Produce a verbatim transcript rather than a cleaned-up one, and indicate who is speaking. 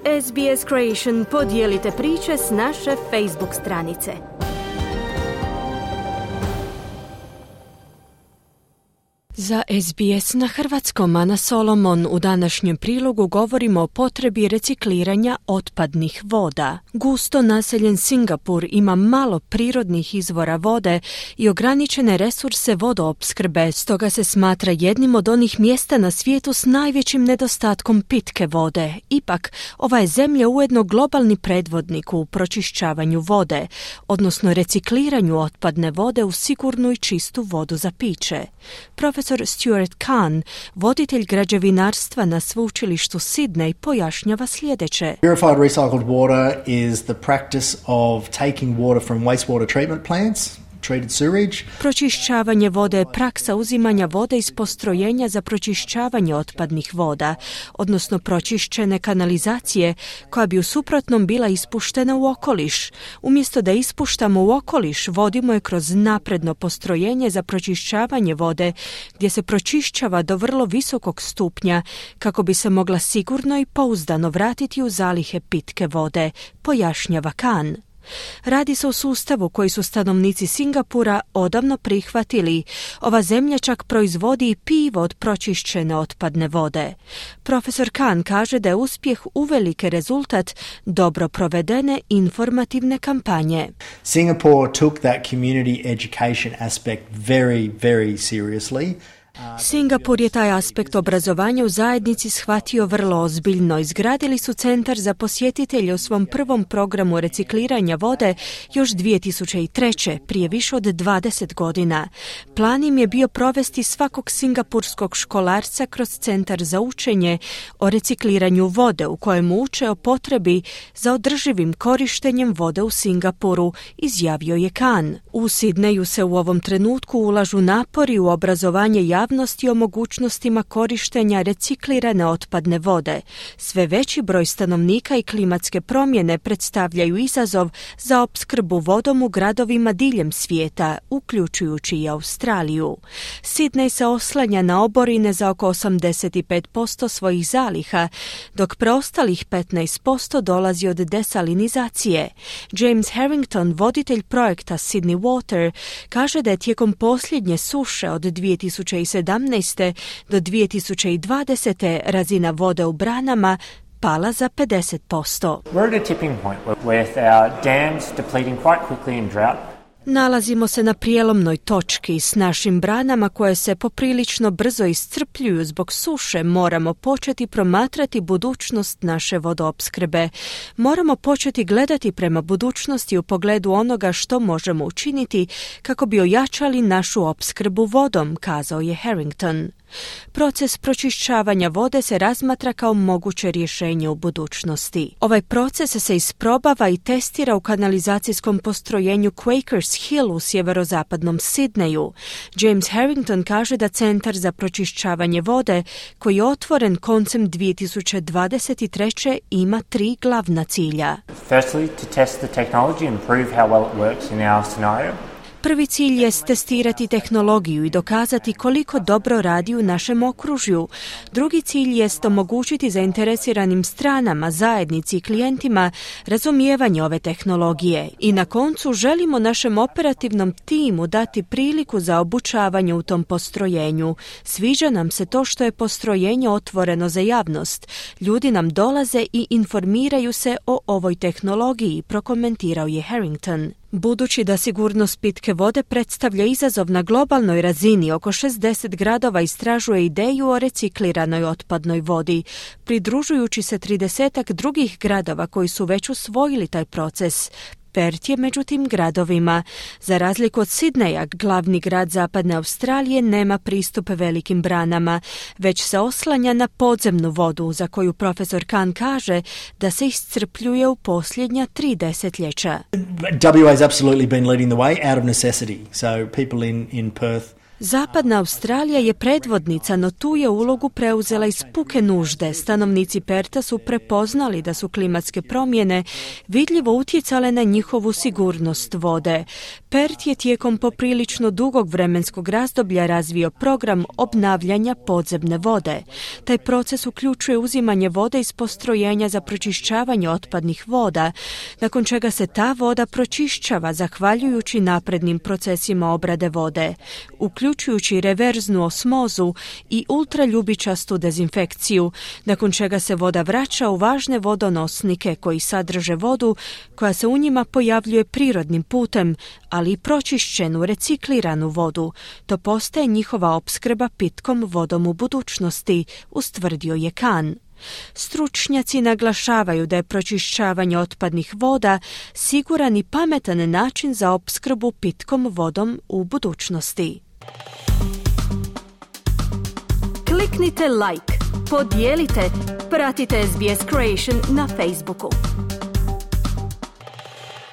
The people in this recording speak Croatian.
Speaker 1: S B S Creation podijelite priče s naše Facebook stranice. Za S B S na hrvatskom Ana Solomon u današnjem prilogu govorimo o potrebi recikliranja otpadnih voda. Gusto naseljen Singapur ima malo prirodnih izvora vode i ograničene resurse vodoopskrbe, stoga se smatra jednim od onih mjesta na svijetu s najvećim nedostatkom pitke vode. Ipak, ova je zemlja ujedno globalni predvodnik u pročišćavanju vode, odnosno recikliranju otpadne vode u sigurnu i čistu vodu za piće. Profesor Stuart Kahn, voditelj građevinarstva na sveučilištu Sydney, pojašnjava sljedeće.
Speaker 2: Purified recycled water is the practice of taking water from wastewater treatment plants, treated sewage.
Speaker 1: Pročišćavanje vode je praksa uzimanja vode iz postrojenja za pročišćavanje otpadnih voda, odnosno pročišćene kanalizacije, koja bi u suprotnom bila ispuštena u okoliš. Umjesto da ispuštamo u okoliš, vodimo je kroz napredno postrojenje za pročišćavanje vode, gdje se pročišćava do vrlo visokog stupnja, kako bi se mogla sigurno i pouzdano vratiti u zalihe pitke vode, pojašnjava Kahn. Radi se o sustavu koji su stanovnici Singapura odavno prihvatili. Ova zemlja čak proizvodi i pivo od pročišćene otpadne vode. Profesor Kahn kaže da je uspjeh uvelike rezultat dobro provedene informativne kampanje.
Speaker 2: Singapore took that community education aspect very, very seriously.
Speaker 1: Singapur je taj aspekt obrazovanja u zajednici shvatio vrlo ozbiljno. Izgradili su centar za posjetitelje u svom prvom programu recikliranja vode još dvije tisuće treće, prije više od dvadeset godina. Plan im je bio provesti svakog singapurskog školarca kroz centar za učenje o recikliranju vode, u kojem uče o potrebi za održivim korištenjem vode u Singapuru, izjavio je Kahn. U Sidneju se u ovom trenutku ulažu napori u obrazovanje javnosti o mogućnostima korištenja reciklirane otpadne vode. Sve veći broj stanovnika i klimatske promjene predstavljaju izazov za opskrbu vodom u gradovima diljem svijeta, uključujući i Australiju. Sydney se oslanja na oborine za oko osamdeset pet posto svojih zaliha, dok preostalih petnaest posto dolazi od desalinizacije. James Harrington, voditelj projekta Sydney Water, kaže da je tijekom posljednje suše od dvije tisuće sedamnaeste do dvije tisuće dvadesete razina vode u branama pala za pedeset posto.
Speaker 3: We're at a tipping point with our dams depleting quite quickly in drought.
Speaker 1: Nalazimo se na prijelomnoj točki. S našim branama koje se poprilično brzo iscrpljuju zbog suše, moramo početi promatrati budućnost naše vodoopskrbe. Moramo početi gledati prema budućnosti u pogledu onoga što možemo učiniti kako bi ojačali našu opskrbu vodom, kazao je Harrington. Proces pročišćavanja vode se razmatra kao moguće rješenje u budućnosti. Ovaj proces se isprobava i testira u kanalizacijskom postrojenju Quakers Hill u sjeverozapadnom Sidneju. James Harrington kaže da centar za pročišćavanje vode, koji je otvoren koncem dvije tisuće dvadeset treće ima tri glavna cilja.
Speaker 3: Firstly, to test the technology and prove how well it works in our scenario.
Speaker 1: Prvi cilj je testirati tehnologiju i dokazati koliko dobro radi u našem okružju. Drugi cilj jest omogućiti zainteresiranim stranama, zajednici i klijentima razumijevanje ove tehnologije. I na koncu želimo našem operativnom timu dati priliku za obučavanje u tom postrojenju. Sviđa nam se to što je postrojenje otvoreno za javnost. Ljudi nam dolaze i informiraju se o ovoj tehnologiji, prokomentirao je Harrington. Budući da sigurnost pitke vode predstavlja izazov na globalnoj razini, oko šezdeset gradova istražuje ideju o recikliranoj otpadnoj vodi, pridružujući se tridesetak drugih gradova koji su već usvojili taj proces. Perth je među tim gradovima. Za razliku od Sidneja, glavni grad zapadne Australije nema pristup velikim branama, već se oslanja na podzemnu vodu, za koju profesor Kahn kaže da se iscrpljuje u posljednja tri desetljeća.
Speaker 2: W A has absolutely been leading the way out of necessity. So people in, in Perth
Speaker 1: Zapadna Australija je predvodnica, no tu je ulogu preuzela iz puke nužde. Stanovnici Perta su prepoznali da su klimatske promjene vidljivo utjecale na njihovu sigurnost vode. Pert je tijekom poprilično dugog vremenskog razdoblja razvio program obnavljanja podzemne vode. Taj proces uključuje uzimanje vode iz postrojenja za pročišćavanje otpadnih voda, nakon čega se ta voda pročišćava zahvaljujući naprednim procesima obrade vode, uključujući reverznu osmozu i ultraljubičastu dezinfekciju, nakon čega se voda vraća u važne vodonosnike koji sadrže vodu koja se u njima pojavljuje prirodnim putem, ali i pročišćenu, recikliranu vodu. To postaje njihova opskrba pitkom vodom u budućnosti, ustvrdio je Khan. Stručnjaci naglašavaju da je pročišćavanje otpadnih voda siguran i pametan način za opskrbu pitkom vodom u budućnosti. Kliknite like, podijelite, pratite S B S Creation na Facebooku.